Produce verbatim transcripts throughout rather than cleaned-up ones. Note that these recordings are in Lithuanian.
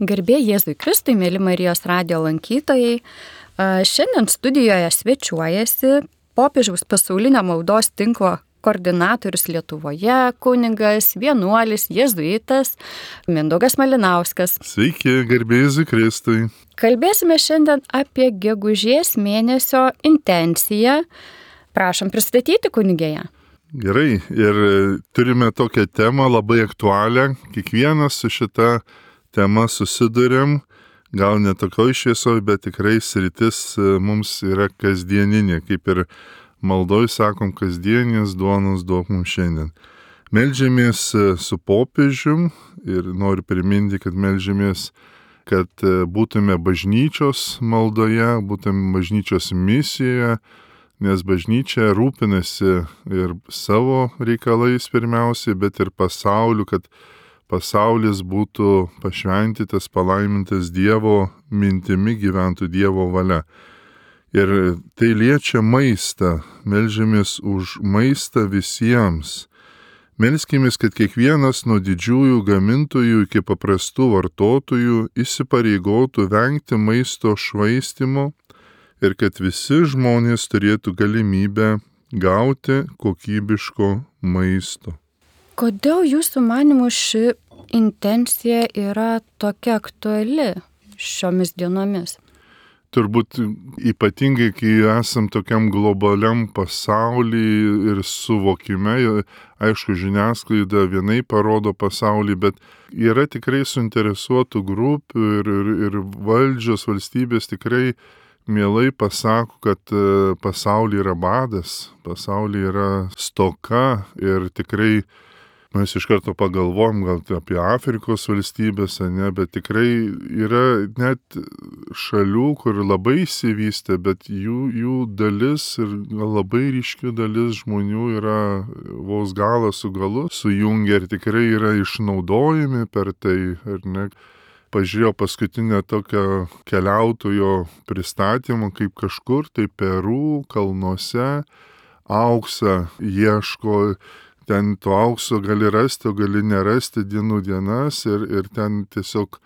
Garbė Jėzui Kristui, mėly Marijos radijo lankytojai. Šiandien studijoje svečiuojasi popiežiaus pasaulinio maldos tinklo koordinatorius Lietuvoje, kunigas, vienuolis, jėzuitas Mindaugas Malinauskas. Sveiki, garbė Jėzui Kristui. Kalbėsime šiandien apie gegužės mėnesio intenciją. Prašom pristatyti kunigėje. Gerai, ir turime tokią temą labai aktualią. Kiekvienas su šita tema susidurėm, gal ne tokioj šviesoj, bet tikrai sritis mums yra kasdieninė, kaip ir maldoj sakom, kasdienės duonos duok mums šiandien. Meldžiamės su popiežium ir noriu priminti, kad meldžiamės, kad būtume bažnyčios maldoje, būtume bažnyčios misijoje, nes bažnyčia rūpinasi ir savo reikalais pirmiausiai, bet ir pasauliu, kad pasaulis būtų pašventytas, palaimintas Dievo mintimi, gyventų Dievo valia. Ir tai liečia maistą, meldžiamės už maistą visiems. Melskimės, kad kiekvienas nuo didžiųjų gamintojų iki paprastų vartotojų įsipareigotų vengti maisto švaistimo ir kad visi žmonės turėtų galimybę gauti kokybiško maisto. Kodėl jūsų manymu ši intencija yra tokia aktuali šiomis dienomis? Turbūt ypatingai, kai esam tokiam globaliam pasauly ir suvokime, aišku, žiniasklaida vienai parodo pasaulį, bet yra tikrai suinteresuotų grupių ir, ir, ir valdžios valstybės tikrai mielai pasako, kad pasaulyje yra badas, pasaulyje yra stoka ir tikrai mes iš karto pagalvojom gal apie Afrikos valstybės, ne, bet tikrai yra net šalių, kur labai išsivystė, bet jų, jų dalis ir labai ryški dalis žmonių yra vos galą su galu sujungia ir tikrai yra išnaudojami per tai, ar ne. Pažiūrėjau paskutinę tokią keliautojo pristatymą, kaip kažkur tai Peru kalnuose auksą ieško. Ten to aukso gali rasti, o gali nerasti dienų dienas ir, ir ten tiesiog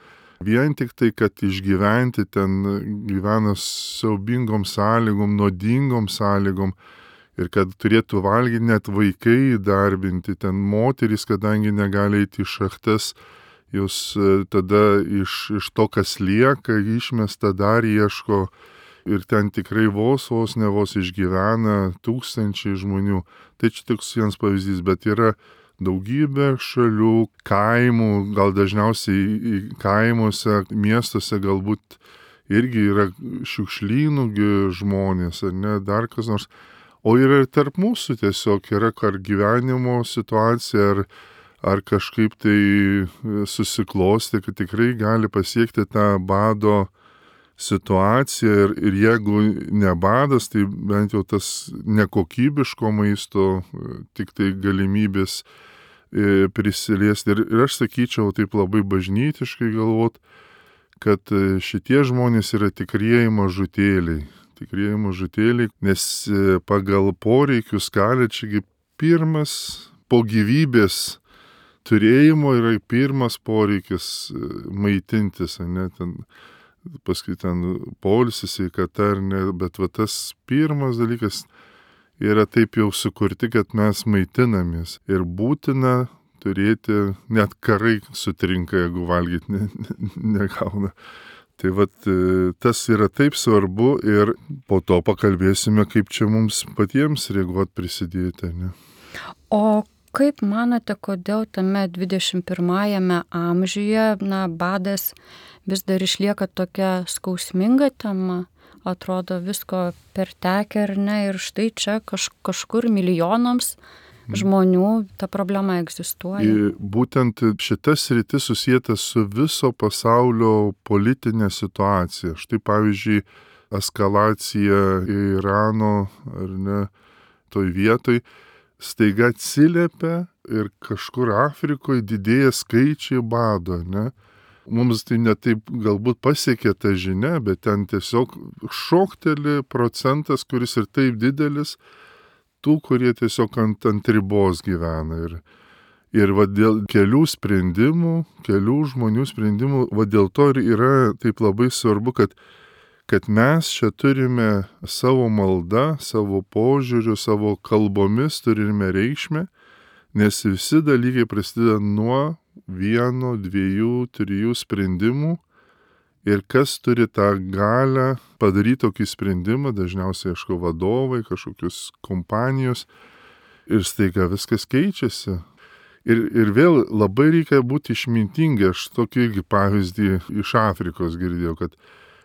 vien tik tai, kad išgyventi ten gyvena siaubingom sąlygom, nuodingom sąlygom ir kad turėtų valgyti net vaikai įdarbinti, ten moterys, kadangi negali eiti į šachtas, jūs tada iš, iš to, kas lieka, išmesta dar ieško. Ir ten tikrai vos, vos ne vos išgyvena tūkstančiai žmonių. Tai čia tik vienas pavyzdys, bet yra daugybė šalių, kaimų, gal dažniausiai kaimuose, miestuose galbūt irgi yra šiukšlynų žmonės, ar ne, dar kas nors. O yra ir tarp mūsų tiesiog yra ar gyvenimo situacija, ar, ar kažkaip tai susiklosti, kad tikrai gali pasiekti tą bado situacija ir, ir jeigu ne badas, tai bent jau tas nekokybiško maisto, tik tai galimybės e, prisiliesti. Ir, ir aš sakyčiau taip labai bažnytiškai galvot, kad šitie žmonės yra tikrieji mažutėliai. Tikrieji mažutėliai, nes pagal poreikių skalę čiagi pirmas po gyvybės turėjimo yra pirmas poreikis maitintis, ne, ten paskui ten poilsis, sveikata ar ne, bet va tas pirmas dalykas yra taip jau sukurti, kad mes maitinamės ir būtina turėti, net karai sutrinka, jeigu valgyti ne, ne, negauna. Tai vat tas yra taip svarbu ir po to pakalbėsime, kaip čia mums patiems reaguoti prisidėti, ne. O kaip manote, kodėl tame dvidešimt pirmajame amžiuje, na, badas vis dar išlieka tokia skausminga tema, atrodo visko pertekę ar ne, ir štai čia kaž, kažkur milijonams žmonių ta problema egzistuoja. Ir būtent šitas sritis susijęta su viso pasaulio politinė situacija. Štai pavyzdžiui, eskalacija Irano ar ne, toj vietoj staiga atsiliepia ir kažkur Afrikoje didėja skaičiai bado, ne. Mums tai netaip galbūt pasiekė ta žinia, bet ten tiesiog šokteli procentas, kuris ir taip didelis, tų, kurie tiesiog ant, ant ribos gyvena. Ir, Ir va dėl kelių sprendimų, kelių žmonių sprendimų, va dėl to ir yra taip labai svarbu, kad, kad mes čia turime savo maldą, savo požiūriu, savo kalbomis turime reikšmę, nes visi dalykai prasideda nuo vieno, dviejų, trijų sprendimų. Ir kas turi tą galią padaryti tokį sprendimą, dažniausiai, aišku, vadovai, kažkokios kompanijos, ir staiga viskas keičiasi. Ir, ir vėl labai reikia būti išmintingi. Aš tokį irgi pavyzdį iš Afrikos girdėjau, kad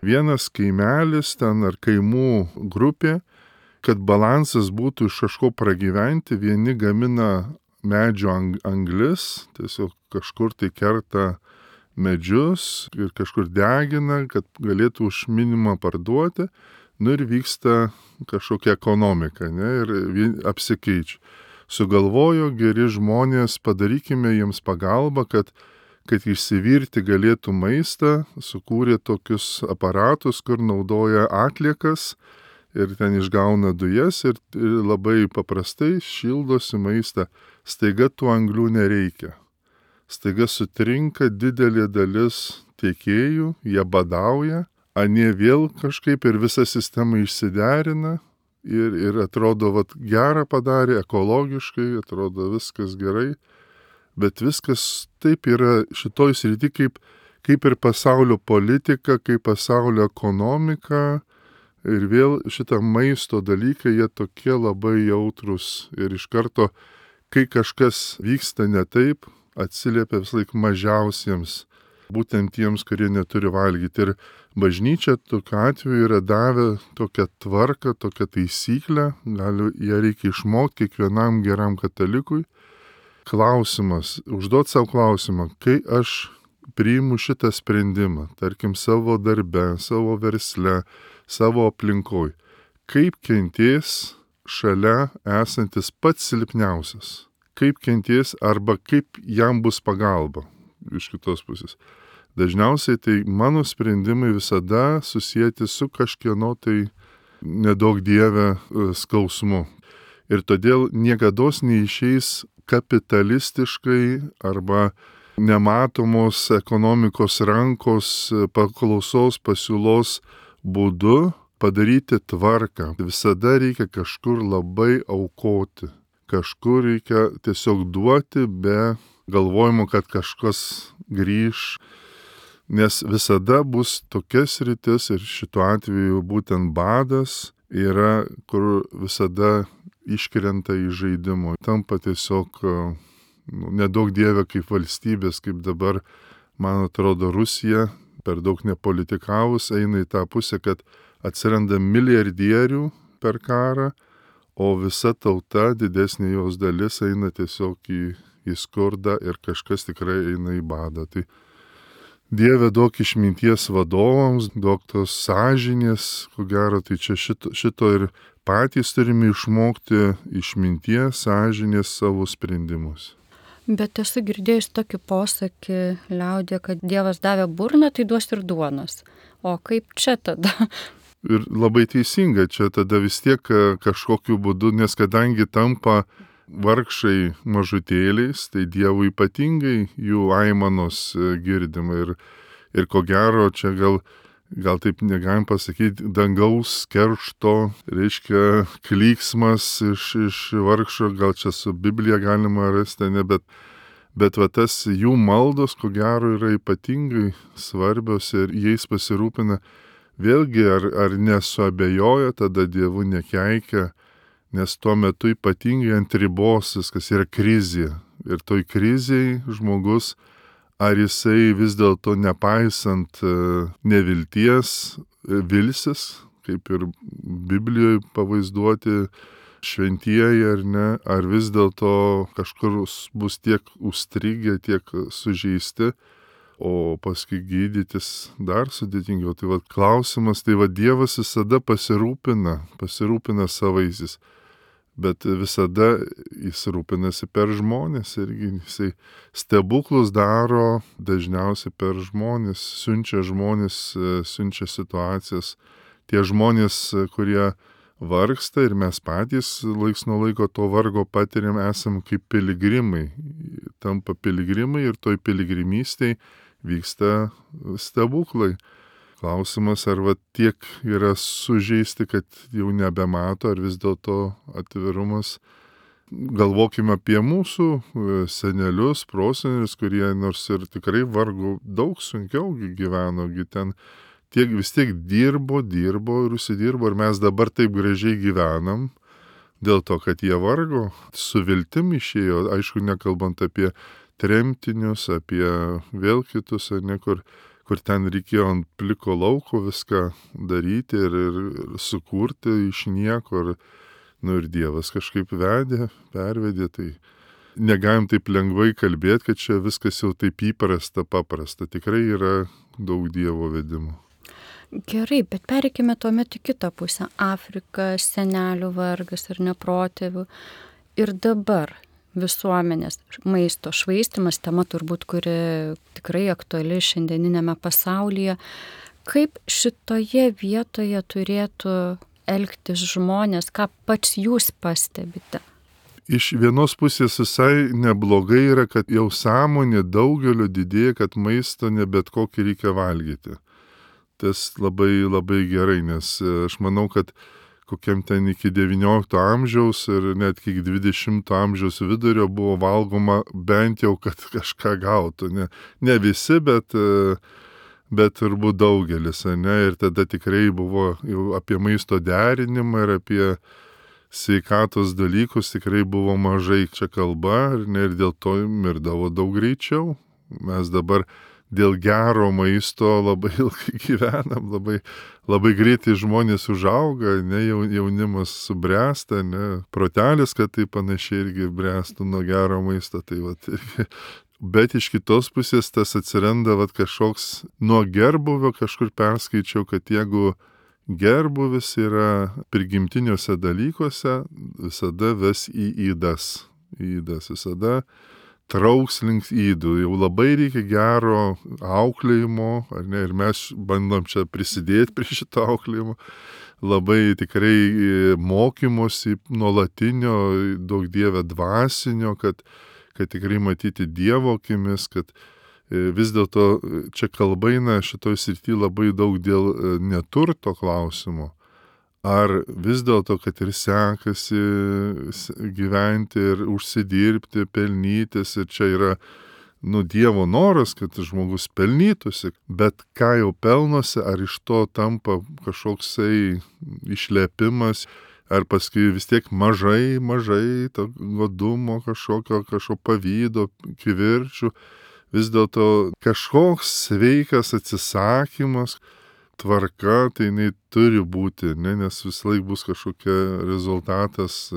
vienas kaimelis ten ar kaimų grupė, kad balansas būtų iš kažko pragyventi, vieni gamina medžio anglis, tiesiog kažkur tai kerta medžius ir kažkur degina, kad galėtų už minimumą parduoti, nu ir vyksta kažkokia ekonomika, ne, ir apsikeičia. Sugalvojo geri žmonės, padarykime jiems pagalbą, kad, kad išsivirti galėtų maistą, sukūrė tokius aparatus, kur naudoja atliekas ir ten išgauna dujas ir, ir labai paprastai šildosi maistą. Staiga tų anglių nereikia. Staiga sutrinka didelė dalis tiekėjų, jie badauja, anie vėl kažkaip ir visa sistema išsiderina ir, ir atrodo, vat, gerą padarė, ekologiškai, atrodo viskas gerai, bet viskas taip yra šitoj srity kaip, kaip ir pasaulio politika, kaip pasaulio ekonomika ir vėl šitą maisto dalykai, jie tokie labai jautrus ir iš karto, kai kažkas vyksta ne taip, atsiliepia vis laik mažiausiems, būtent tiems, kurie neturi valgyti. Ir bažnyčia tokiu atveju yra davę tokią tvarką, tokią taisyklę, gali, ją reikia išmokti kiekvienam geram katalikui. Klausimas, užduot savo klausimą, kai aš priimu šitą sprendimą, tarkim savo darbe, savo versle, savo aplinkoj, kaip kentės šalia esantis pats silpniausias. Kaip kenties arba kaip jam bus pagalba iš kitos pusės. Dažniausiai tai mano sprendimai visada susijęti su kažkieno tai nedaug dieve skausmu. Ir todėl niekados neišeis kapitalistiškai arba nematomos ekonomikos rankos paklausos pasiūlos būdu padaryti tvarką. Visada reikia kažkur labai aukoti. Kažkur reikia tiesiog duoti be galvojimo, kad kažkas grįž, nes visada bus tokia sritis ir šituo atveju būtent badas yra, kur visada iškrenta į žaidimo. Tampa tiesiog nu, nedaug dieve kaip valstybės, kaip dabar, man atrodo, Rusija per daug nepolitikavus eina į tą pusę, kad atsiranda milijardierių per karą, o visa tauta, didesnė jos dalis, eina tiesiog į, į skurdą ir kažkas tikrai eina į badą. Tai Dieve duok išminties vadovams, duok tos sąžinės, ko gero, tai čia šito, šito ir patys turime išmokti išminties, sąžinės savo sprendimus. Bet esu girdėjus tokį posakį liaudė, kad Dievas davė burną, tai duos ir duonos. O kaip čia tada? Ir labai teisinga, čia tada vis tiek kažkokiu būdu, nes kadangi tampa vargšai mažutėliais, tai Dievui ypatingai jų aimanos girdima. Ir, ir ko gero, čia gal, gal taip negalim pasakyti, dangaus keršto, reiškia klyksmas iš, iš vargšo, gal čia su Biblija galima rasti, ne, bet, bet va tas jų maldos, ko gero, yra ypatingai svarbios ir jais pasirūpina. Vėlgi, ar, ar nesuabejoja, tada Dievu nekeikia, nes tuo metu ypatingai ant ribos viskas yra krizė. Ir toj krizėj žmogus, ar jisai vis dėlto nepaisant nevilties vilsis, kaip ir Biblijoje pavaizduoti šventieji ar ne, ar vis dėlto kažkur bus tiek užstrigę, tiek sužeisti, o paskui gydytis dar sudėtingiau. Tai va klausimas, tai va Dievas visada pasirūpina, pasirūpina savaisiais, bet visada jis rūpinasi per žmonės irgi jisai stebuklus daro dažniausiai per žmonės, siunčia žmonės, siunčia situacijas. Tie žmonės, kurie vargsta ir mes patys laiks nuo laiko to vargo patiriam, esam kaip piligrimai. Tampa piligrimai ir toj piligrimystėj vyksta stebuklai. Klausimas, ar va tiek yra sužeisti, kad jau nebemato, ar vis dėlto atvirumas. Galvokime apie mūsų senelius, prosenelius, kurie nors ir tikrai vargo daug sunkiau gyveno, gi ten tiek vis tiek dirbo, dirbo ir užsidirbo, ir mes dabar taip gražiai gyvenam, dėl to, kad jie vargo, su viltim išėjo, aišku, nekalbant apie tremtinius, apie vėl kitus, ar ne, kur, kur ten reikėjo ant pliko lauko viską daryti ir, ir sukurti iš nieko, ir, nu, ir Dievas kažkaip vedė, pervedė, tai negalim taip lengvai kalbėti, kad čia viskas jau taip įprasta, paprasta, tikrai yra daug Dievo vedimo. Gerai, bet pereikime tuomet į kitą pusę. Afrika, senelių vargas ir neprotėvių. Ir dabar visuomenės maisto švaistimas, tema turbūt, kuri tikrai aktuali šiandieninėme pasaulyje. Kaip šitoje vietoje turėtų elgtis žmonės, ką pats jūs pastebite? Iš vienos pusės visai neblogai yra, kad jau sąmonė daugelio didėja, kad maisto ne bet kokį reikia valgyti. Tas labai labai gerai, nes aš manau, kad kokiam ten iki devyniolikto amžiaus ir net iki dvidešimto amžiaus vidurio buvo valgoma bent jau, kad kažką gautų. Ne, ne visi, bet, bet turbūt daugelis. Ne? Ir tada tikrai buvo jau apie maisto derinimą ir apie sveikatos dalykus tikrai buvo mažai čia kalba, ne, ir dėl to mirdavo daug greičiau. Mes dabar dėl gero maisto labai ilgai gyvenam, labai, labai greitai žmonės užauga, ne, jaunimas subręsta, ne, protelis, kad tai panašiai irgi bręstų nuo gero maisto. Tai vat, bet iš kitos pusės tas atsiranda vat, kažkoks nuo gerbuvio, kažkur perskaičiau, kad jeigu gerbuvis yra prigimtiniuose dalykuose, visada ves į įdas. Įdas visada trauks link įdų, jau labai reikia gero auklėjimo, ar ne, ir mes bandom čia prisidėti prie šito auklėjimo, labai tikrai mokymosi nuolatinio, daug Dieve dvasinio, kad, kad tikrai matyti Dievo akimis, kad vis dėlto čia kalba eina šitoj srity labai daug dėl neturto klausimo. Ar vis dėlto, kad ir sekasi gyventi ir užsidirbti, pelnytis, ir čia yra, nu, Dievo noras, kad žmogus pelnytųsi, bet ką jau pelnosi, ar iš to tampa kažkoksai išlepimas, ar paskui vis tiek mažai, mažai to godumo, kažkokio, kažkokio pavydo, kivirčių, vis dėlto kažkoks sveikas atsisakymas, tvarka, tai jinai turi būti, ne, nes vis laik bus kažkokia rezultatas.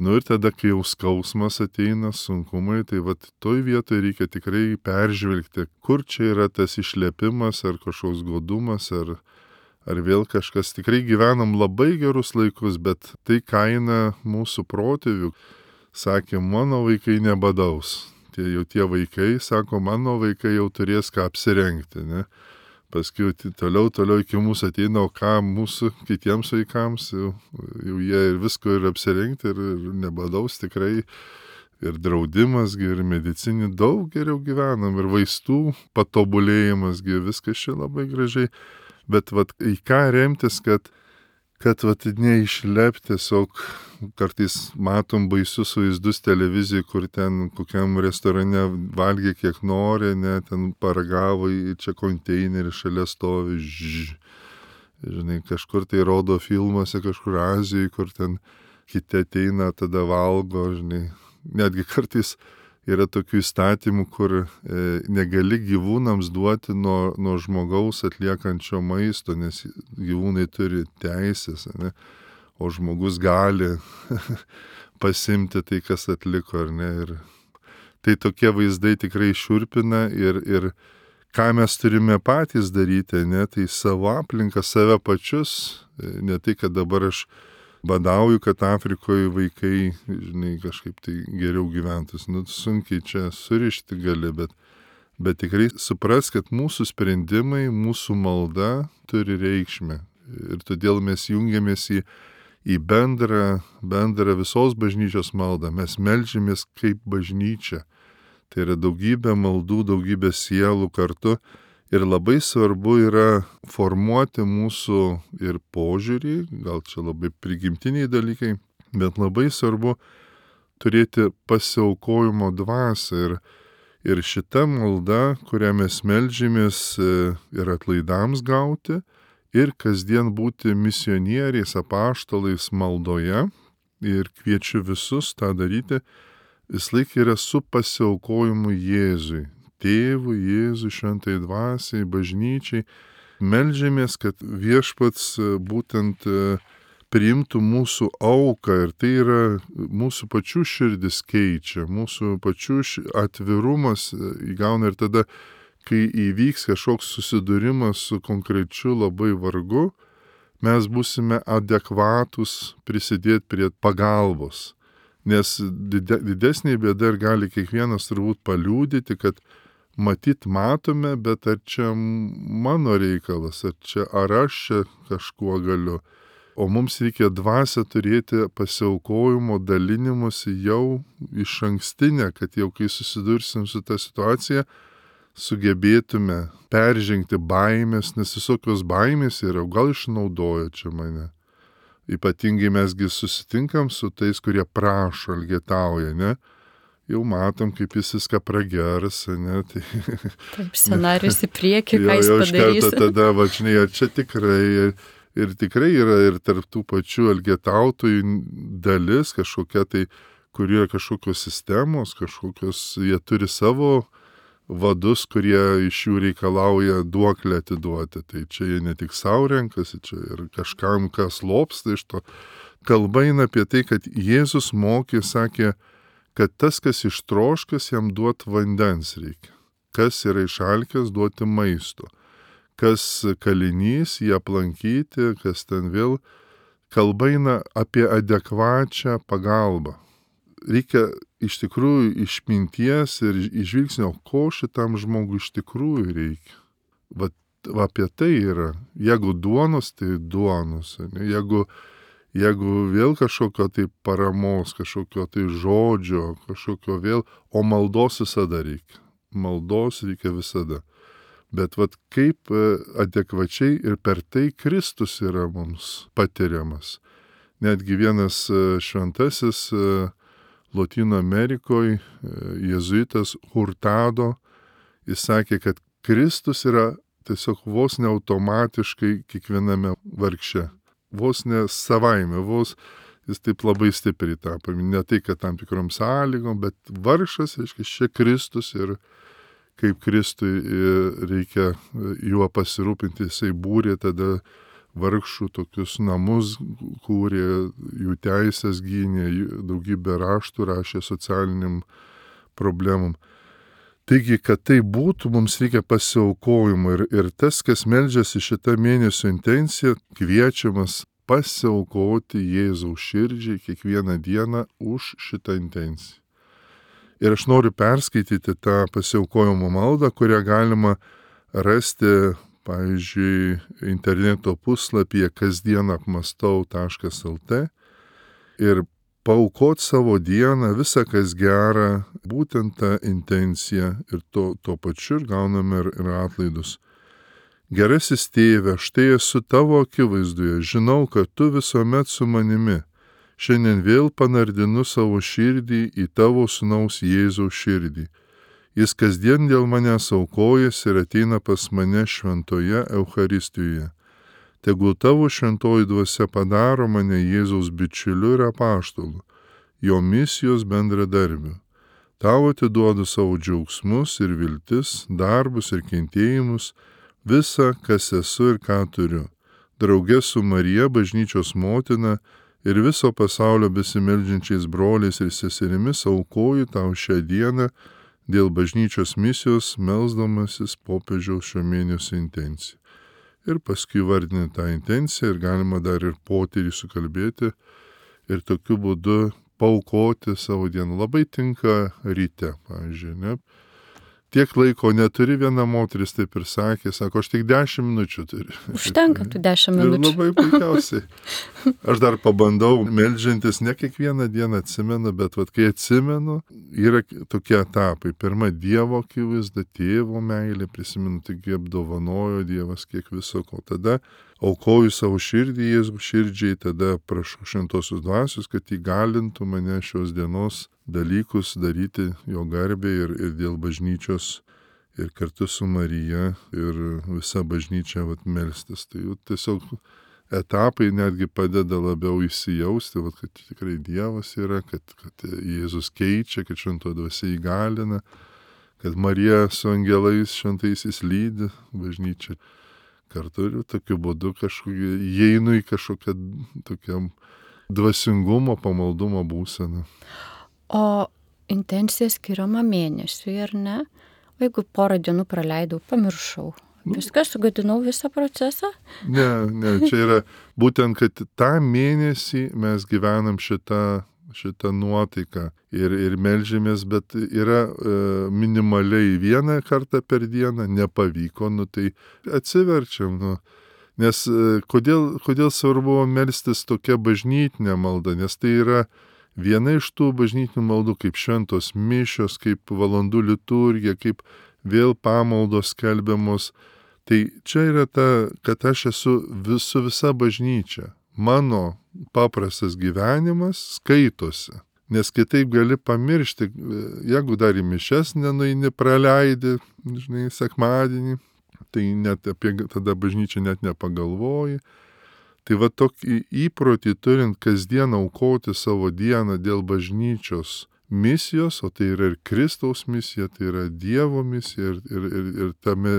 Nu ir tada, kai jau skausmas ateina, sunkumai, tai vat toj vietoj reikia tikrai peržvelgti, kur čia yra tas išlepimas, ar kažkoks godumas, ar, ar vėl kažkas. Tikrai gyvenam labai gerus laikus, bet tai kaina mūsų protėvių. Sakė, mano vaikai nebadaus. Tie jau tie vaikai, sako, mano vaikai jau turės ką apsirengti, ne. Paskui toliau, toliau iki mūsų ateina, o ką mūsų kitiems vaikams, jau, jau jie ir visko ir apsirengti, ir, ir nebadaus tikrai, ir draudimas, ir medicinį daug geriau gyvenam, ir vaistų patobulėjimas, viskas čia labai gražiai, bet vat, į ką remtis, kad, kad vat, neišlep tiesiog, kartais matom baisius vaizdus televizijai, kur ten kokiam restorane valgė kiek nori, ne, ten paragavo į čia konteinerį, šalia stovi, žž, žinai, kažkur tai rodo filmuose, kažkur Azijoje, kur ten kiti ateina, tada valgo, žinai, netgi kartais yra tokių įstatymų, kur e, negali gyvūnams duoti nuo, nuo žmogaus atliekančio maisto, nes gyvūnai turi teisės, ne? O žmogus gali pasimti tai, kas atliko, ar ne. Ir tai tokie vaizdai tikrai šiurpina ir, ir ką mes turime patys daryti, ne, tai savo aplinką, save pačius, ne tai, kad dabar aš badauju, kad Afrikoje vaikai, žinai, kažkaip tai geriau gyventus. Nu, sunkiai čia surišti gali, bet, bet tikrai supras, kad mūsų sprendimai, mūsų malda turi reikšmę. Ir todėl mes jungiamės į į bendrą, bendrą visos bažnyčios maldą. Mes meldžiamės kaip bažnyčia. Tai yra daugybė maldų, daugybė sielų kartu. Ir labai svarbu yra formuoti mūsų ir požiūrį, gal čia labai prigimtiniai dalykai, bet labai svarbu turėti pasiaukojimo dvasią. Ir, ir šita malda, kurią mes meldžiamės ir atlaidams gauti, ir kasdien būti misionieriais, apaštalais maldoje, ir kviečiu visus tą daryti, vis laik yra su pasiaukojimu Jėzui. Tėvui, Jėzui, šventai dvasiai, bažnyčiai. Meldžiamės, kad viešpats būtent priimtų mūsų auką ir tai yra mūsų pačių širdis keičia, mūsų pačių atvirumas įgauna ir tada, kai įvyks kažkoks susidūrimas su konkrečiu labai vargu, mes būsime adekvatus prisidėti prie pagalbos. Nes didesnė bėda ir gali kiekvienas turbūt paliudyti, kad matyt matome, bet ar čia mano reikalas, ar čia ar aš čia kažkuo galiu. O mums reikia dvasią turėti pasiaukojimo dalinimuose jau iš ankstinę, kad jau kai susidursim su ta situacija, sugebėtume peržengti baimės, nes visokios baimės yra, gal išnaudoja čia mane. Ypatingai mesgi susitinkam su tais, kurie prašo, elgetauja, ne? Jau matom, kaip jis viską pragers, ne? Tai, taip, scenarius į priekį, ką jis padarys. Jau iš karto tada, vačinai, ar čia tikrai, ir, ir tikrai yra ir tarp tų pačių elgetautojų dalis kažkokia tai, kur yra kažkokios sistemos, kažkokios, jie turi savo vadus, kurie iš jų reikalauja duoklę atiduoti. Tai čia jie ne tik savo renkasi, čia ir kažkam, kas lobsta iš to. Kalba eina apie tai, kad Jėzus mokė, sakė, kad tas, kas ištroškas, jam duot vandens reikia. Kas yra išalkęs, duoti maisto. Kas kalinys, jį aplankyti, kas ten vėl. Kalba eina apie adekvačią pagalbą. Reikia iš tikrųjų išminties ir išvilgsnio, ko šitam žmogui iš tikrųjų reikia. Va, va apie tai yra. Jeigu duonos, tai duonos. Ne? Jeigu, jeigu vėl kažkokio tai paramos, kažkokio tai žodžio, kažkokio vėl, o maldos visada reikia. Maldos reikia visada. Bet vat kaip adekvačiai ir per tai Kristus yra mums patiriamas. Netgi vienas šventasis Lotynų Amerikoje, jėzuitas Hurtado, jis sakė, kad Kristus yra tiesiog vos ne automatiškai kiekviename vargše. Vos ne savaime, vos jis taip labai stipriai tą paminė. Ne tai, kad tam tikrom sąlygom, bet vargšas, reiškia, čia Kristus ir kaip Kristui reikia juo pasirūpinti, jisai būrė tada vargšų tokius namus, kūrė, jų teisės gynė, daugybę raštų rašė socialiniam problemam. Taigi, kad tai būtų, mums reikia pasiaukojimo ir, ir tas, kas meldžiasi šitą mėnesio intenciją, kviečiamas pasiaukoti Jėzaus širdžiai kiekvieną dieną už šitą intenciją. Ir aš noriu perskaityti tą pasiaukojimo maldą, kurią galima rasti, pavyzdžiui, interneto puslapyje kasdien apmastau taškas lt ir paaukot savo dieną, visą kas gera, būtent tą intenciją ir to, to pačiu ir gauname ir, ir atlaidus. Gerasis tėve, štai esu tavo akivaizdoje, žinau, kad tu visuomet su manimi. Šiandien vėl panardinu savo širdį į tavo sūnaus Jėzaus širdį. Jis kasdien dėl manęs aukojasi ir ateina pas mane šventoje Eucharistijoje. Tegul tavo šventoji dvasia padaro mane Jėzaus bičiuliu ir apaštalu, jo misijos bendradarbiu. Tau atiduodu savo džiaugsmus ir viltis, darbus ir kentėjimus, visą, kas esu ir ką turiu. Drauge su Marija, bažnyčios motina, ir viso pasaulio besimeldžiančiais broliais ir seserimis aukoju tau šią dieną, dėl bažnyčios misijos melsdamasis popiežiaus šio mėnesio intenciją. Ir paskui vardinti tą intenciją ir galima dar ir potyrį sukalbėti ir tokiu būdu paaukoti savo dieną. Labai tinka ryte, pavyzdžiui, ne? tiek laiko neturi, viena moteris taip ir sakė, sako, aš tik dešimt minučių turiu. Užtenka tų dešimt minučių. Ir labai puikiausiai. Aš dar pabandau meldžiantis, ne kiekvieną dieną atsimenu, bet vat, kai atsimenu, yra tokie etapai. Pirma, Dievo akivaizda, tėvo meilė, prisimenu, tik apdovanojo Dievas kiek viso ko. Tada aukoju savo širdį Jėzų širdžiai, tada prašau šventosios dvasios, kad įgalintų mane šios dienos dalykus daryti jo garbė ir, ir dėl bažnyčios ir kartu su Marija ir visa bažnyčia vat, melstis. Tai jau tiesiog etapai netgi padeda labiau įsijausti, vat, kad tikrai Dievas yra, kad, kad Jėzus keičia, kad šventoji dvasia įgalina, kad Marija su angelais šventaisiais lydi bažnyčią. Kartu ir tokiu būdu kažkokiu įeinu į kažkokią tokiam dvasingumo, pamaldumo būseną. O intencija skiriama mėnesiui, ar ne? O jeigu porą dienų praleidau, pamiršau. Viską sugadinau visą procesą? Ne, ne, čia yra būtent, kad tą mėnesį mes gyvenam šitą, šitą nuotaiką ir, ir melžiamės, bet yra e, minimaliai vieną kartą per dieną, nepavyko, nu tai atsiverčiam, nu. Nes e, kodėl, kodėl svarbu melstis tokia bažnytinė malda, nes tai yra viena iš tų bažnytinių maldų, kaip šventos mišios, kaip valandų liturgija, kaip vėl pamaldos skelbiamos. Tai čia yra ta, kad aš esu vis, su visa bažnyčia. Mano paprastas gyvenimas skaitosi. Nes kitaip gali pamiršti, jeigu dar į mišias nenueini, praleidi, žinai, sekmadienį, tai net apie tada bažnyčią net nepagalvoji. Tai va tokį įprotį turint kasdien aukoti savo dieną dėl bažnyčios misijos, o tai yra ir Kristaus misija, tai yra Dievo misija ir, ir, ir, ir tame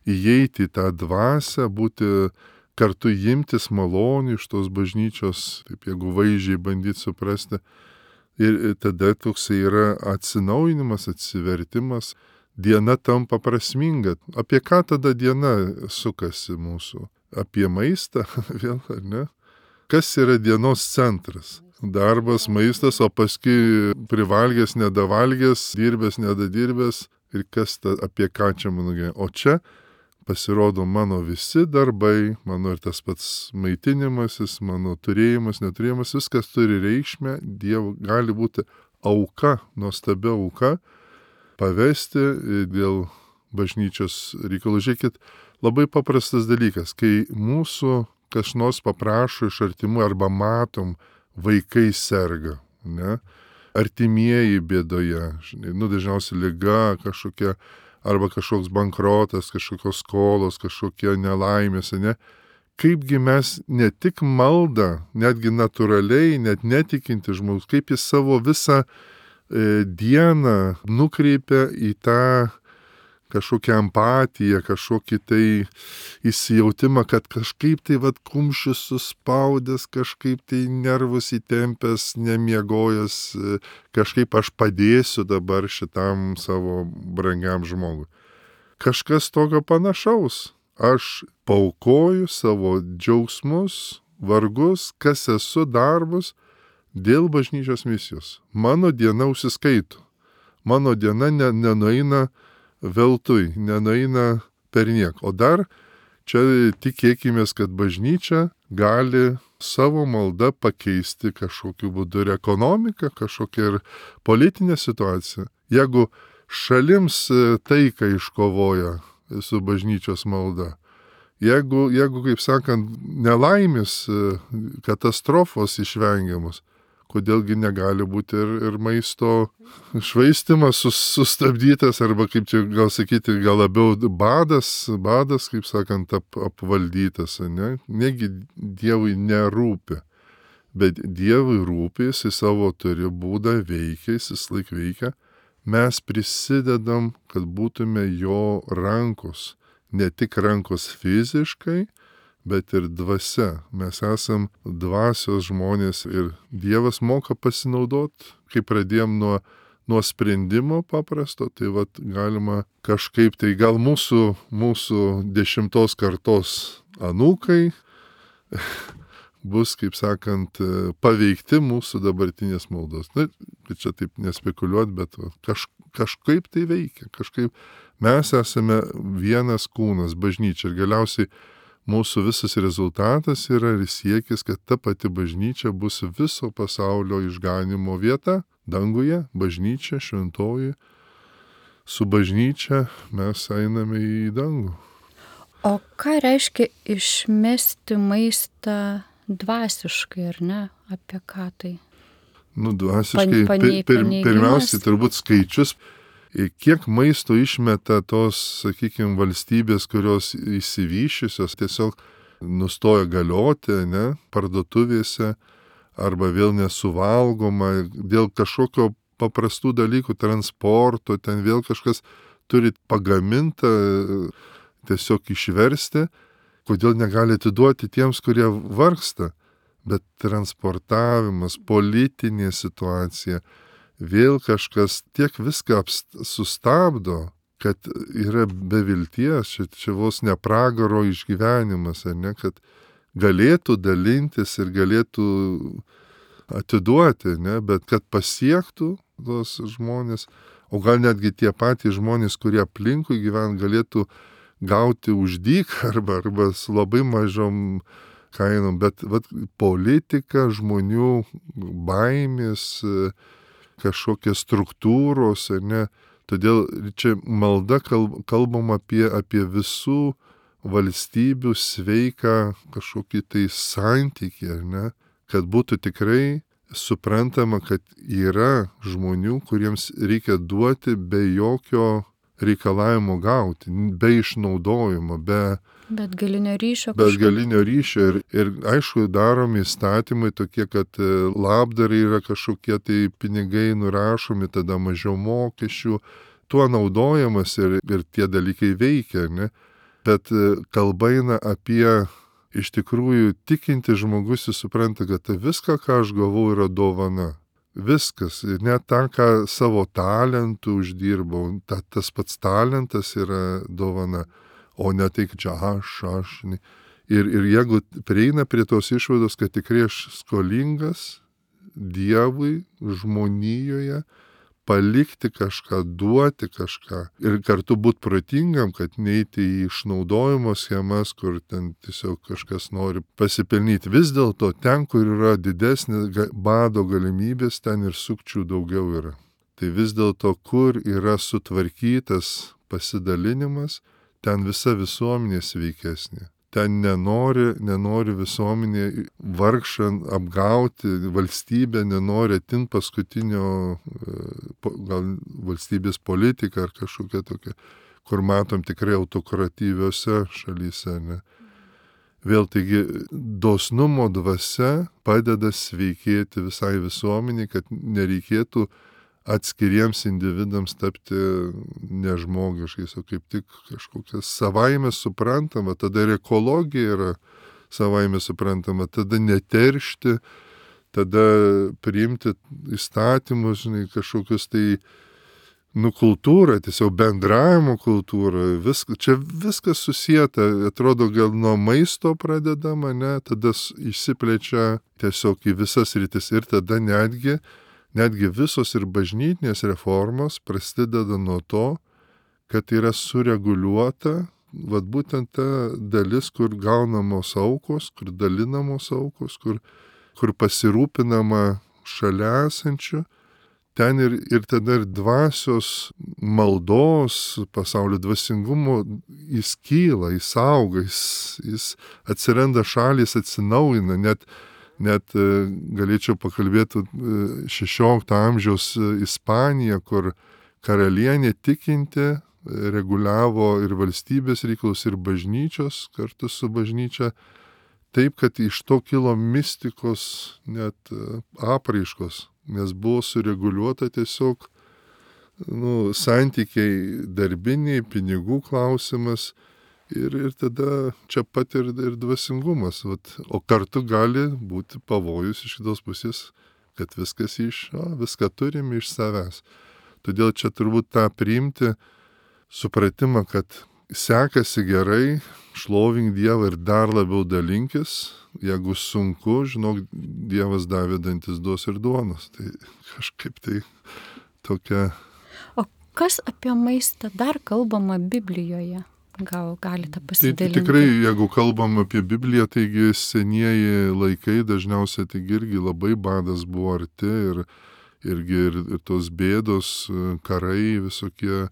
įeiti į tą dvasią, būti kartu imtis malonių iš tos bažnyčios, taip jeigu vaizdžiai bandyti suprasti. Ir, ir tada toks yra atsinaujinimas, atsivertimas, diena tampa prasminga. Apie ką tada diena sukasi mūsų? Apie maistą, vėl, ar ne? Kas yra dienos centras? Darbas, maistas, o paskui privalgęs, nedavalgęs, dirbęs, nedadirbęs. Ir kas ta, apie ką čia mano gyvenimas? O čia pasirodo mano visi darbai, mano ir tas pats maitinimasis, mano turėjimas, neturėjimas, viskas turi reikšmę, Dievo gali būti auka, nuostabia auka, pavesti dėl bažnyčios reikalų. Žiūrėkit, labai paprastas dalykas, kai mūsų kas nors paprašo iš artimų arba matom, vaikai serga, ne? Artimieji bėdoje, žinai, nu dažniausiai liga kažkokia, arba kažkoks bankrotas, kažkokios skolos, kažkokie nelaimės, ne? Kaipgi mes ne tik maldą, netgi natūraliai, net netikinti žmogus, kaip jis savo visą e, dieną nukreipia į tą kažkokią empatiją, kažkokį tai įsijautimą, kad kažkaip tai vat kumščius suspaudęs, kažkaip tai nervus įtempęs, nemiegojęs, kažkaip aš padėsiu dabar šitam savo brangiam žmogui. Kažkas tokio panašaus. Aš paukoju savo džiaugsmus, vargus, kas esu, darbus dėl bažnyčios misijos. Mano diena užsiskaito. Mano diena ne, nenueina veltui, nenueina per niek. O dar čia tikėkimės, kad bažnyčia gali savo maldą pakeisti kažkokiu būdu ir ekonomiką, kažkokią ir politinę situaciją. Jeigu šalims taiką iškovoja su bažnyčios malda, jeigu, jeigu kaip sakant, nelaimės, katastrofos išvengiamos, kodėlgi negali būti ir, ir maisto švaistimas sus, sustabdytas, arba kaip čia gal sakyti, gal labiau badas, badas, kaip sakant, ap, apvaldytas, ne? Negi Dievui nerūpi, bet Dievui rūpi, jis savo turi būdą veikia, jis laik veikia, mes prisidedam, kad būtume jo rankos, ne tik rankos fiziškai, bet ir dvasia. Mes esam dvasios žmonės ir Dievas moka pasinaudoti, kai pradėjom nuo, nuo sprendimo paprasto, tai vat galima kažkaip, tai gal mūsų, mūsų dešimtos kartos anūkai bus, kaip sakant, paveikti mūsų dabartinės maldos. Na, čia taip nespekuliuot, bet kaž, kažkaip tai veikia, kažkaip mes esame vienas kūnas, bažnyčia ir galiausiai mūsų visas rezultatas yra ir siekis, kad ta pati bažnyčia bus viso pasaulio išganimo vieta, danguje, bažnyčia, šventoji. Su bažnyčia mes einame į dangų. O ką reiškia išmesti maistą dvasiškai, ar ne? Apie ką tai? Nu, dvasiškai, Pan- panei- pir, pir, paneigimas? pirmiausiai turbūt skaičius, kiek maisto išmeta tos, sakykime, valstybės, kurios įsivyšiusios, tiesiog nustoja galioti, ne, parduotuvėse, arba vėl nesuvalgoma, dėl kažkokio paprastų dalykų, transporto, ten vėl kažkas turi pagamintą, tiesiog išversti, kodėl negali atiduoti tiems, kurie vargsta. Bet transportavimas, politinė situacija, vėl kažkas tiek viską apst- sustabdo, kad yra be vilties, čia, čia vos ne pragaro išgyvenimas, ar ne, kad galėtų dalintis ir galėtų atiduoti, ne, bet kad pasiektų tos žmonės, o gal netgi tie patys žmonės, kurie aplinkui gyvena, galėtų gauti už dyką arba, arba su labai mažom kainom, bet vat, politika, žmonių baimės, kažkokios struktūros, ar ne, todėl čia malda kalb, kalbam apie, apie visų valstybių sveiką kažkokį tai santykį, ar ne, kad būtų tikrai suprantama, kad yra žmonių, kuriems reikia duoti be jokio reikalavimo gauti, be išnaudojimo, be Bet galinio ryšio Bet kažkaip. galinio ryšio ir, ir aišku, daromi įstatymai tokie, kad labdarai yra kažkokie tai pinigai nurašomi, tada mažiau mokesčių, tuo naudojamas ir, ir tie dalykai veikia, ne? Bet kalba eina apie iš tikrųjų tikinti žmogus, jis supranta, kad viską, ką aš gavau, yra dovana. Viskas, net tą, ką savo talentų uždirbau, ta, tas pats talentas yra dovana. O ne tai, kad čia aš, aš. Ir, ir jeigu prieina prie tos išvados, kad tikrai aš skolingas Dievui, žmonijoje, palikti kažką, duoti kažką ir kartu būti protingam, kad neiti į išnaudojimo schemas, kur ten tiesiog kažkas nori pasipelnyti. Vis dėlto ten, kur yra didesnė bado galimybės, ten ir sukčių daugiau yra. Tai vis dėlto, kur yra sutvarkytas pasidalinimas, ten visa visuomenė sveikesnė. Ten nenori, nenori visuomenė vargšant apgauti, valstybė nenori atimti paskutinio, gal valstybės politika ar kažkokia tokia, kur matom tikrai autokratyviose šalyse. Ne? Vėl taigi dosnumo dvasia padeda sveikėti visai visuomeniai, kad nereikėtų atskiriems individams tapti nežmogiškais, o kaip tik kažkokias savaime suprantama, tada ir ekologija yra savaime suprantama, tada neteršti, tada priimti įstatymus, žinai, kažkokius tai, nu, kultūrą, tiesiog bendravimo kultūrą, visk, čia viskas susieta, atrodo, gal nuo maisto pradedama, ne, tada išsiplečia tiesiog į visas rytis ir tada netgi Netgi visos ir bažnytinės reformos prasideda nuo to, kad yra sureguliuota, vat būtent ta dalis, kur gaunamos aukos, kur dalinamos aukos, kur, kur pasirūpinama šalia esančių, ten ir, ir tada ir dvasios maldos, pasaulio dvasingumo, jis kyla, jis auga, jis, jis atsiranda šalis, atsinaujina, net Net galėčiau pakalbėti šešiolikto amžiaus Ispanija, kur karalienė tikinti reguliavo ir valstybės reikalus, ir bažnyčios kartu su bažnyčia, taip, kad iš to kilo mistikos net apraiškos, nes buvo sureguliuota tiesiog nu, santykiai darbiniai, pinigų klausimas, Ir, ir tada čia pat ir, ir dvasingumas. Vat, o kartu gali būti pavojus iš kitos pusės, kad viskas iš, o, viską turime iš savęs. Todėl čia turbūt tą priimti supratimą, kad sekasi gerai, šlovink Dievą ir dar labiau dalinkis. Jeigu sunku, žinok, Dievas davė dantis duos ir duonos. Tai kažkaip tai tokia... O kas apie maistą dar kalbama Biblijoje? Gal galite Tai pasidalinti? tikrai, jeigu kalbam apie Bibliją, taigi senieji laikai dažniausiai taigi irgi labai badas buvo arti ir, irgi ir, ir tos bėdos, karai visokie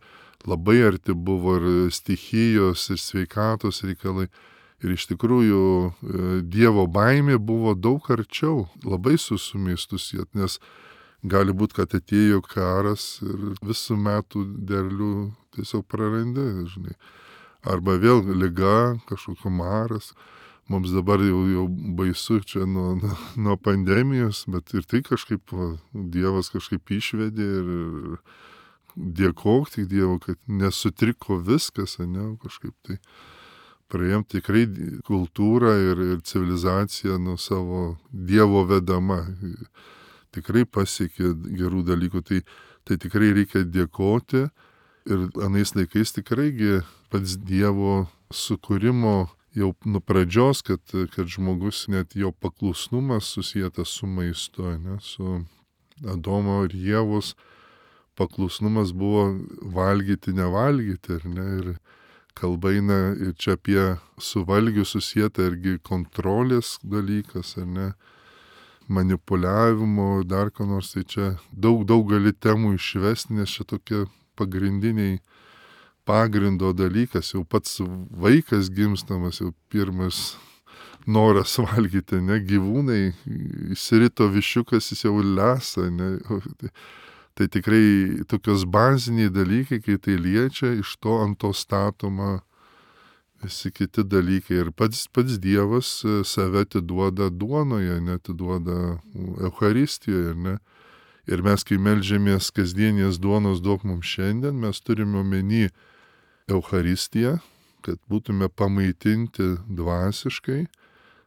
labai arti buvo ir stichijos, ir sveikatos reikalai. Ir iš tikrųjų Dievo baimė buvo daug arčiau, labai susumistus, nes gali būti, kad atėjo karas ir visų metų derlių tiesiog prarandi, žinai. Arba vėl liga, kažkokia maras. Mums dabar jau, jau baisu čia nuo, nuo, nuo pandemijos, bet ir tai kažkaip va, Dievas kažkaip išvedė ir dėkok tik Dievo, kad nesutriko viskas, ne, kažkaip tai. Praėjom tikrai kultūrą ir, ir civilizaciją nuo savo Dievo vedama. Tikrai pasiekė gerų dalykų, tai, tai tikrai reikia dėkoti. Ir anais laikais tikraigi pats Dievo sukūrimo jau nuo pradžios, kad, kad žmogus net jo paklusnumas susijęs su maistu, ne, su Adomo ir Ievos paklusnumas buvo valgyti, nevalgyti, ar ne, ir kalba eina ir čia apie su valgiu susijęta irgi kontrolės dalykas, ar ne, manipuliavimo, dar ko nors, tai čia daug, daug gali temų išvesti, nes čia tokie pagrindiniai pagrindo dalykas, jau pats vaikas gimstamas, jau pirmas noras valgyti, ne, gyvūnai, įsirito višiukas, jis jau lesa, ne, tai, tai tikrai tokios baziniai dalykai, kai tai liečia, iš to ant to statoma visi kiti dalykai ir pats, pats Dievas save atiduoda duonoje, neatiduoda Eucharistijoje, ne. Ir mes, kai meldžiamės kasdienės duonos duok mums šiandien, mes turime omeny Eucharistiją, kad būtume pamaitinti dvasiškai,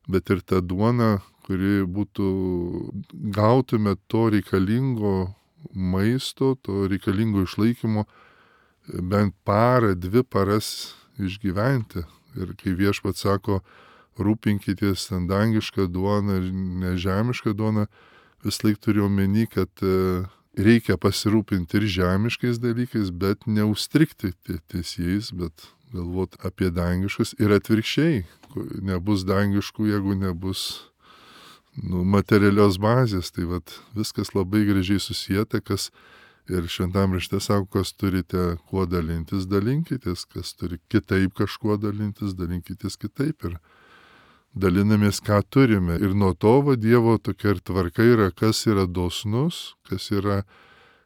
bet ir ta duona, kuri būtų, gautume to reikalingo maisto, to reikalingo išlaikymo, bent parą, dvi paras išgyventi. Ir kai Viešpats sako, rūpinkitės ten dangišką duoną ir nežemišką duoną, vis laik turiu omeny, kad reikia pasirūpinti ir žemiškais dalykais, bet neužstrigti ties jais, bet galvot apie dangiškus ir atvirkščiai. Nebus dangiškų, jeigu nebus nu, materialios bazės. Tai vat, viskas labai gražiai susijęta, kas ir šventam rašte sako, kas turite kuo dalintis, dalinkitės, kas turi kitaip kažkuo dalintis, dalinkitės kitaip. Ir dalinamės, ką turime. Ir nuo to va, Dievo tokia ir tvarka yra, kas yra dosnus, kas yra,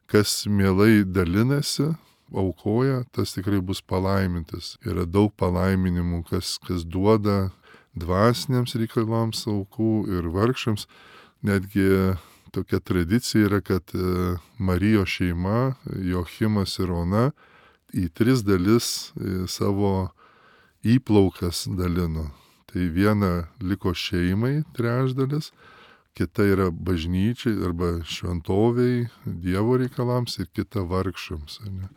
kas mielai dalinasi, aukoja, tas tikrai bus palaimintas. Yra daug palaiminimų, kas, kas duoda dvasiniams reikalams aukų ir vargšams. Netgi tokia tradicija yra, kad Marijos šeima, Joachimas ir Ona, į tris dalis savo įplaukas dalino. Tai viena liko šeimai trečdalis, kita yra bažnyčiai arba šventoviai, Dievo reikalams ir kita vargšams. Ne?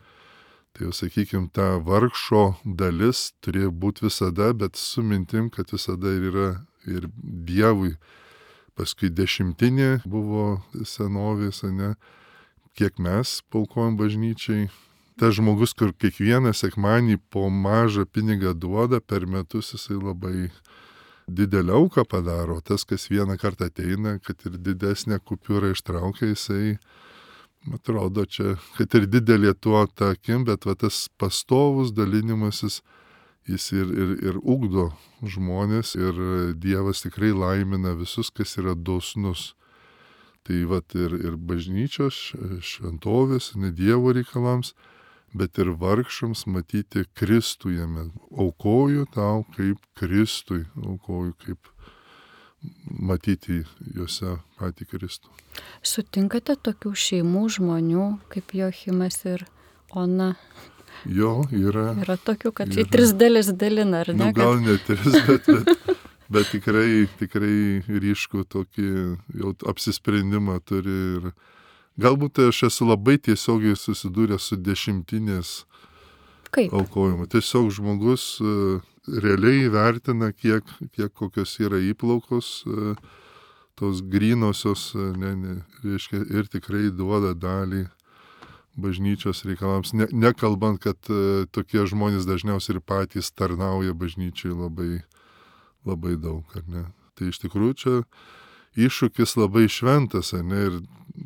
Tai jau sakykim, ta vargšo dalis turėjo būti visada, bet su mintim, kad visada yra ir Dievui. Paskui dešimtinė buvo senovės, ne? Kiek mes paukojom bažnyčiai. Tas žmogus, kur kiekvieną sekmanį po mažą pinigą duoda, per metus jisai labai didelę auką padaro. Tas, kas vieną kartą ateina, kad ir didesnę kupiūrą ištraukia, jisai, atrodo, čia, kad ir didelė tuo ta akim, bet va, tas pastovus dalinimasis, jis ir, ir, ir ugdo žmonės ir Dievas tikrai laimina visus, kas yra dosnus. Tai va, ir, ir bažnyčios, šventovės, ne Dievo reikalams, bet ir vargšams matyti Kristų jame. Aukoju tau kaip Kristui, aukoju kaip matyti juose patį Kristų. Sutinkate tokių šeimų žmonių kaip Joachimas ir Ona? Jo, yra. Yra tokių, kad į tris dalis dalina, ar ne? Nu, gal ne tris, bet, bet, bet tikrai, tikrai ryškų tokį jau apsisprendimą turi ir galbūt aš esu labai tiesiogiai susidūręs su dešimtinės Kaip? aukojimu. Tiesiog žmogus uh, realiai vertina, kiek, kiek kokios yra įplaukos, uh, tos grynosios, uh, ne, ne, reiškia, ir tikrai duoda dalį bažnyčios reikalams, ne, nekalbant, kad e, tokie žmonės dažniausiai ir patys tarnauja bažnyčiai labai, labai daug, ar ne. Tai iš tikrųjų čia iššūkis labai šventas, ar ne, ir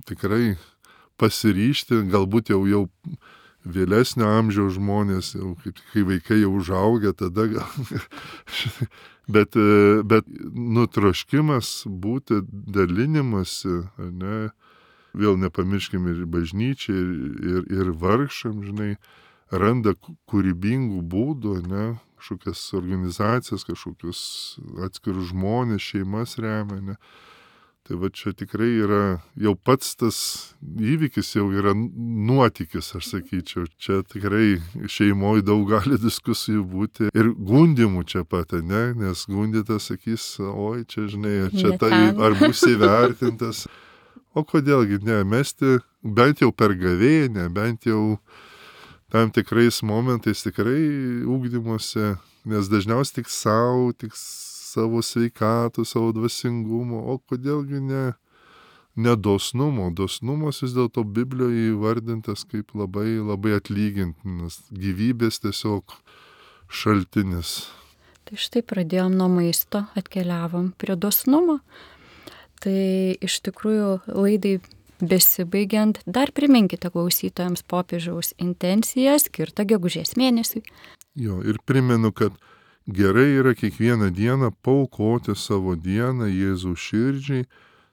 tikrai pasiryžti, galbūt jau jau vėlesnio amžiaus žmonės, jau kaip kai vaikai jau užaugę, tada gal. bet, bet nutroškimas būti dalinimasi, ar ne, vėl nepamirškime ir bažnyčiai, ir, ir, ir vargšam, žinai, randa kūrybingų būdų, ne, kažkokias organizacijas, kažkokius atskirus žmonės, šeimas remia, ne. Tai va čia tikrai yra, jau pats tas įvykis jau yra nuotykis, aš sakyčiau. Čia tikrai šeimoje daug gali diskusijų būti ir gundimų čia pat, ne, nes gundytas sakys, oi, čia žinai, čia tai, ar bus įvertintas. O kodėlgi ne, mesti bent jau per gavėnią, bent jau tam tikrais momentais tikrai ugdymuose, nes dažniausiai tik savo, tik savo sveikatų, savo dvasingumo, o kodėlgi ne, ne dosnumo. Dosnumas vis dėlto Biblijoje įvardintas kaip labai, labai atlygintinas, gyvybės tiesiog šaltinis. Tai štai pradėjom nuo maisto, atkeliavom prie dosnumo. Tai iš tikrųjų laidai besibaigiant, dar priminkite klausytojams popiežiaus intenciją skirtą gegužės mėnesiui. Jo, ir primenu, kad gerai yra kiekvieną dieną paaukoti savo dieną Jėzaus širdžiai,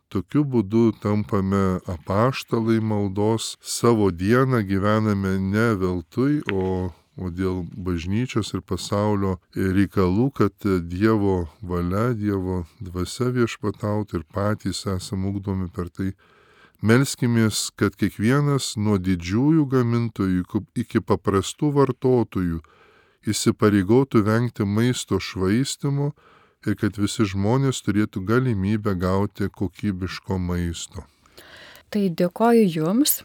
tokiu būdu tampame apaštalai maldos, savo dieną gyvename ne veltui, o, o dėl bažnyčios ir pasaulio reikalų, kad Dievo valia, Dievo dvasia viešpatautų ir patys esame ugdomi per tai. Melskimės, kad kiekvienas nuo didžiųjų gamintojų iki paprastų vartotojų įsipareigotų vengti maisto švaistimo ir kad visi žmonės turėtų galimybę gauti kokybiško maisto. Tai dėkoju Jums,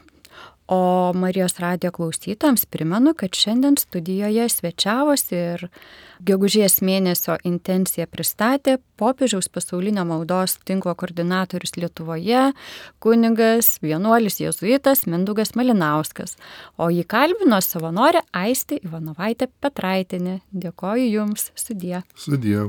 o Marijos radijo klausytojams primenu, kad šiandien studijoje svečiavosi ir gegužės mėnesio intenciją pristatė popiežiaus pasaulinio maldos tinklo koordinatorius Lietuvoje, kunigas, vienuolis jėzuitas Mindaugas Malinauskas, o jį kalbino savanorė Aistė Ivanovaitė Petraitienė. Dėkoju Jums, sudie. Sudie.